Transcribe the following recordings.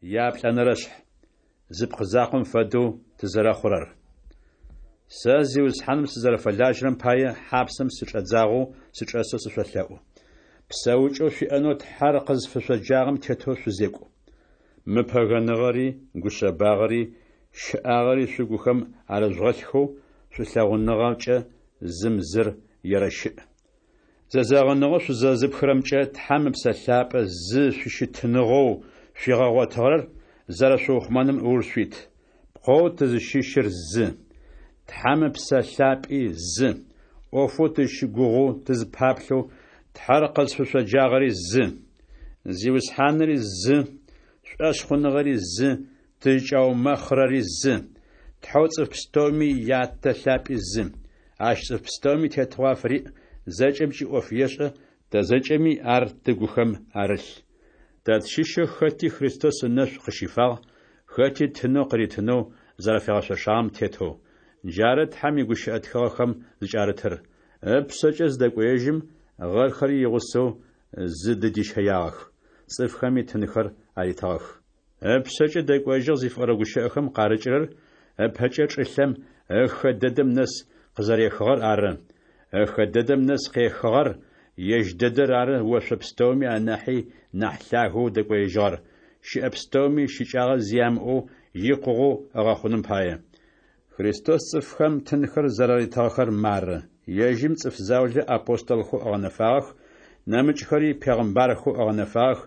Яплӏэнэрэшъхь: зы пкъы закъом фэдэу тызэрэхъурэр. Сэ Зиусхьаным сызэрэфэлажьэрэм пае, хьапсэм сычӏэдзагъэу сычӏэсэу сышъолъэӏу. Псэукӏэу шъуиӏэнэу Тхьэр къызфышъоджагъэм тетэу шъузекӏу. Мыпэгэныгъэри, гушъэбагъэри, щыӏагъэри шъугухэм арыжъугъэлъхэу, шӏулъэгъуныгъэкӏэ зым зыр ерэщыӏ. Зэзэгъыныгъэу шъузэзыпхырэмкӏэ Тхьэм Ыпсэ Лъапӏэ зы шъущытыныгъэу шъуигъэгъотыгъэр зэрэшъуухъумэным ыуж шъуит. Пкъэу тызыщыщыр зы, Тхьэм Ыпсэ Лъапӏи зы, ӏофэу тызщыгугъэу тызпаплъэу Тхьэр къызфышъоджагъэри зы. Зиусхьаныри зы, шӏошъхъуныгъэри зы, тызкӏаумэхъырэри зы, Тхьэу цӏыф пстэуми Ятэ лъапӏи зы. Ащ цӏыф пстэуми тетыгъо афыриӏ, зэкӏэмкӏи ӏоф ешӏэ, тэ зэкӏэми ар тыгухэм арылъ. Тэ тщыщэу хэти Христос ынэшӏу къыщифагъ, хэти тынэу къыритынэу зэрэфигъэшъошагъэм тетэу. Джары Тхьэм игущыӏэ тхыгъэхэм зыкӏарытыр: Ыпшъэкӏэ зыдэкӏоежьым, гъэрхэри игъусэу зыдыдищэягъэх, цӏыфхэми тынхэр аритыгъэх. Ыпшъэкӏэ дэкӏоежьыгъ зыфиӏорэ гущыӏэхэм къарыкӏырэр ыпэкӏэ чӏылъэм ыхэ дэдэм нэс къызэрехыгъэр ары. Ыхэ дэдэм нэс къехыгъэр ежь дэдэр ары ошъо пстэуми анахьи нахь лъагэу дэкӏоежьыгъэр, щыӏэ пстэуми щыкӏагъэ зи ямыӏэу икъугъэу ыгъэхъуным пае. Христос цӏыфхэм тынхэр зэраритыгъэхэр мары: ежьым цӏыф заулэ апостолхэу ыгъэнэфагъэх, нэмыкӏхэри пегъымбархэу ыгъэнэфагъэх,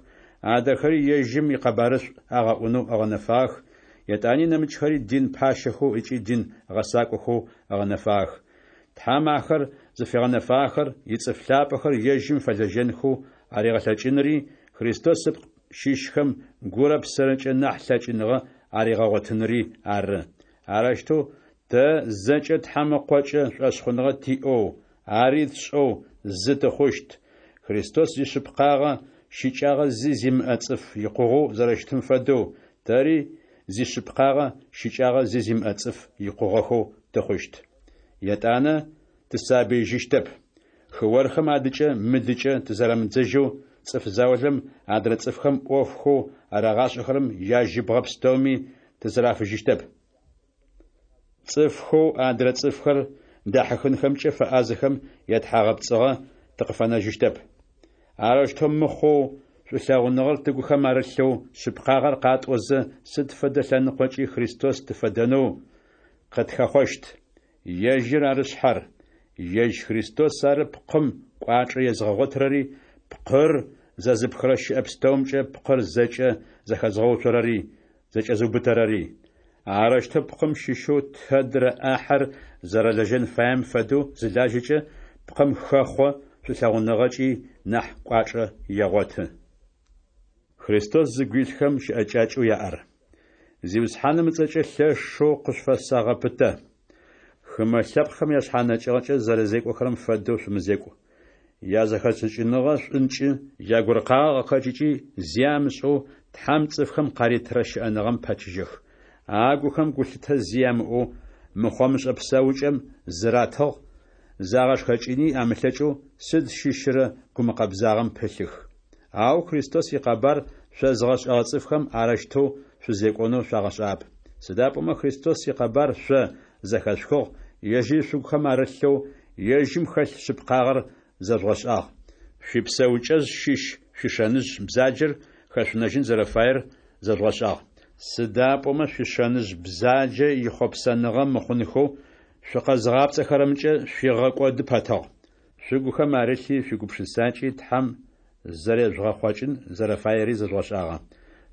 адрэхэри ежьым икъэбарышӏу агъэӏунэу ыгъэнэфагъэх, етӏани нэмыкӏхэри дин пащэхэу ыкӏи дин гъэсакӏохэу ыгъэнэфагъэх. Тхьэм ахэр зыфигъэнэфагъэхэр ицӏыф лъапӏэхэр ежьым фэлэжьэнхэу аригъэлъэкӏынри, Христос ыпкъ щыщхэм гурэ псэрэкӏэ нахь лъэкӏыныгъэ аригъэгъотынри ары. Арэущтэу тэ зэкӏэ Тхьэм Ыкъокӏэ шӏошъхъуныгъэ тиӏэу, ари тшӏэу зы тыхъущт, Христос зишъыпкъагъэ щыкӏагъэ зи зимыӏэ цӏыф икъугъэу зэрэщытым фэдэу, тэри зишъыпкъагъэ щыкӏагъэ зи зимыӏэ цӏыф икъугъэхэу тыхъущт. Етӏанэ тысабыижьыщтэп. Хыорхэм адыкӏэ-мыдыкӏэ тызэрамыдзэжьэу цӏыф заулэм адрэ цӏыфхэм ӏофхэу арагъашӏэхэрэм яжьыбгъэ пстэуми тызэрафыжьыщтэп. Цӏыфхэу адрэ цӏыфхэр дахьыхынхэмкӏэ фэӏазэхэм ятхьагъэпцӏыгъэ тыкъыфэнэжьыщтэп. Арэущтэу мыхъоу, шӏулъэгъуныгъэр тыгухэм арылъэу, шъыпкъагъэр къатӏозэ, сыд фэдэ лъэныкъокӏи Христос тыфэдэнэу къытхэхъощт. Ежьыр ары шъхьэр. Ежь Христос ары пкъым кӏуачӏэ езыгъэгъотырэри, пкъыр зэзыпхырэ щыӏэ пстэумкӏэ пкъыр зэкӏэ зэхэзыгъэуцорэри, зэкӏэзыубытэрэри. Арэущтэу пкъым щыщэу тэдрэ ӏахьэр зэрэлэжьэн фаем фэдэу зылажьэкӏэ, пкъым хэхъо, шӏулъэгъуныгъэкӏи нахь кӏуачӏэ егъоты. Христос зыгу илъхэм щыӏэкӏакӏэу яӏэр. Зиусхьаным ыцӏэкӏэ лъэшэу къышъуфэсэгъэпытэ. Хымэ лъэпкъхэм яшъхьанэкӏыгъэкӏэ зэрэзекӏохэрэм фэдэу шъумызекӏу. Язэхэшӏыкӏыныгъэ шӏункӏы, ягуркъагъэ къыхэкӏыкӏи зи амышӏэу Тхьэм цӏыфхэм къаритырэ щыӏэныгъэм пэчыжьэх. Агухэм гулъытэ зи ямыӏэу мыхъомышӏэ псэукӏэм зыратыгъ, загъэшхэкӏыни амылъэкӏэу сыд щыщырэ гумыкъэбзагъэм пылъых. Ау Христос икъэбар шъозыгъэшӏэгъэ цӏыфхэм арэущтэу шъузекӏонэу шъуагъэшӏагъэп. Сыда пӏомэ Христос икъэбар шъо зэхэшъухыгъ, ежьыри шъугухэм арылъэу, ежьым хэлъ шъыпкъагъэр зэжъугъэшӏагъ. Шъуипсэукӏэжъ щыщ шъуишэныжъ бзаджэр хэшъунэжьын зэрэфаер зэжъугъэшӏагъ. Сыда пӏомэ шъуишэныжъ бзаджэ ихъопсэныгъэ мыхъунхэу шъукъэзыгъапцӏэхэрэмкӏэ шъуигъэкӏоды пэтыгъ. Шъугухэм арылъи шъуигупшысакӏи Тхьэм зэрежъугъэхъокӏын зэрэфаери зэжъугъэшӏагъэ.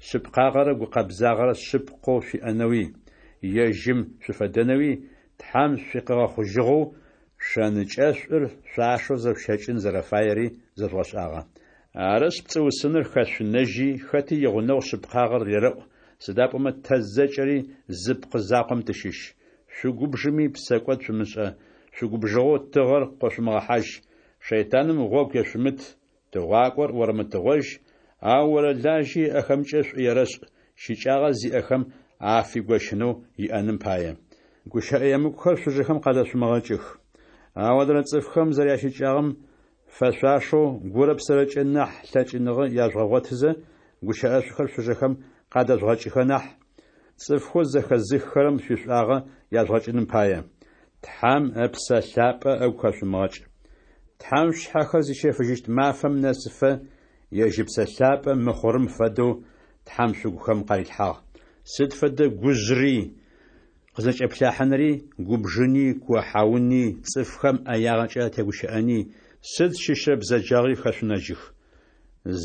Шъыпкъагъэрэ гукъэбзагъэрэ шъыпкъэу шъуиӏэнэуи, ежьым шъуфэдэнэуи Тхьэм шъукъигъэхъужьыгъэу, шэнычъэшӏур шъуашэу зэшъущэкӏын зэрэфаери зэжъугъэшӏагъэ. Арышъ, пцӏыусыныр хэшъунэжьи, хэти игъунэгъу шъыпкъагъэр рерэӏу, сыда пӏомэ тэ зэкӏэри зы пкъы закъом тыщыщ. Шъугубжыми псэкӏод шъумышӏэ, шъугубжыгъэу тыгъэр къошъумыгъэхьажь, шэйтаным гъогу ешъумыт, тыгъуакӏор орэмытыгъожь, ау орэлажьи ыӏэхэмкӏэ шӏу ерэшӏ, щыкӏагъэ зиӏэхэм афигощынэу иӏэным пае. Гущыӏэ емыкӏухэр шъужэхэм къадэшъумыгъэкӏых. Ау адрэ цӏыфхэм зэрящыкӏагъэм фэшъуашэу гурэ псэрэкӏэ нахь лъэкӏыныгъэ яжъугъэгъотызэ, гущыӏэшӏухэр шъужэхэм къадэжъугъэкӏыхэ нахь, цӏыфхэу зэхэзыххэрэм шъуишӏуагъэ яжъугъэкӏыным пае, Тхьэм Ыпсэ Лъапӏэ ыгу хэшъумыгъэкӏ. Тхьэм шъушъхьэхэр зищэфыжьыщт мафэм нэсыфэ, ежь Ыпсэ Лъапӏэ мыхъурым фэдэу Тхьэм шъугухэм къарилъхьагъ. Сыд фэдэ гужъри, къызэкӏэплъахьынри, губжыни, куохьауни, цӏыфхэм ӏэягъэкӏэ атегущыӏэни, сыд щыщрэ бзэджагъи хэшъунэжьых.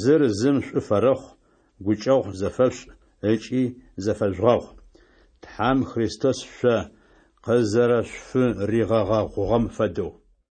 Зыр зым шӏу фэрэхъу, гукӏэгъу зэфэшъушӏ ыкӏи зэфэжъугъэгъу, Тхьэм Христос шъо къызэрэшъуфыригъэгъэгъугъэм фэдэу.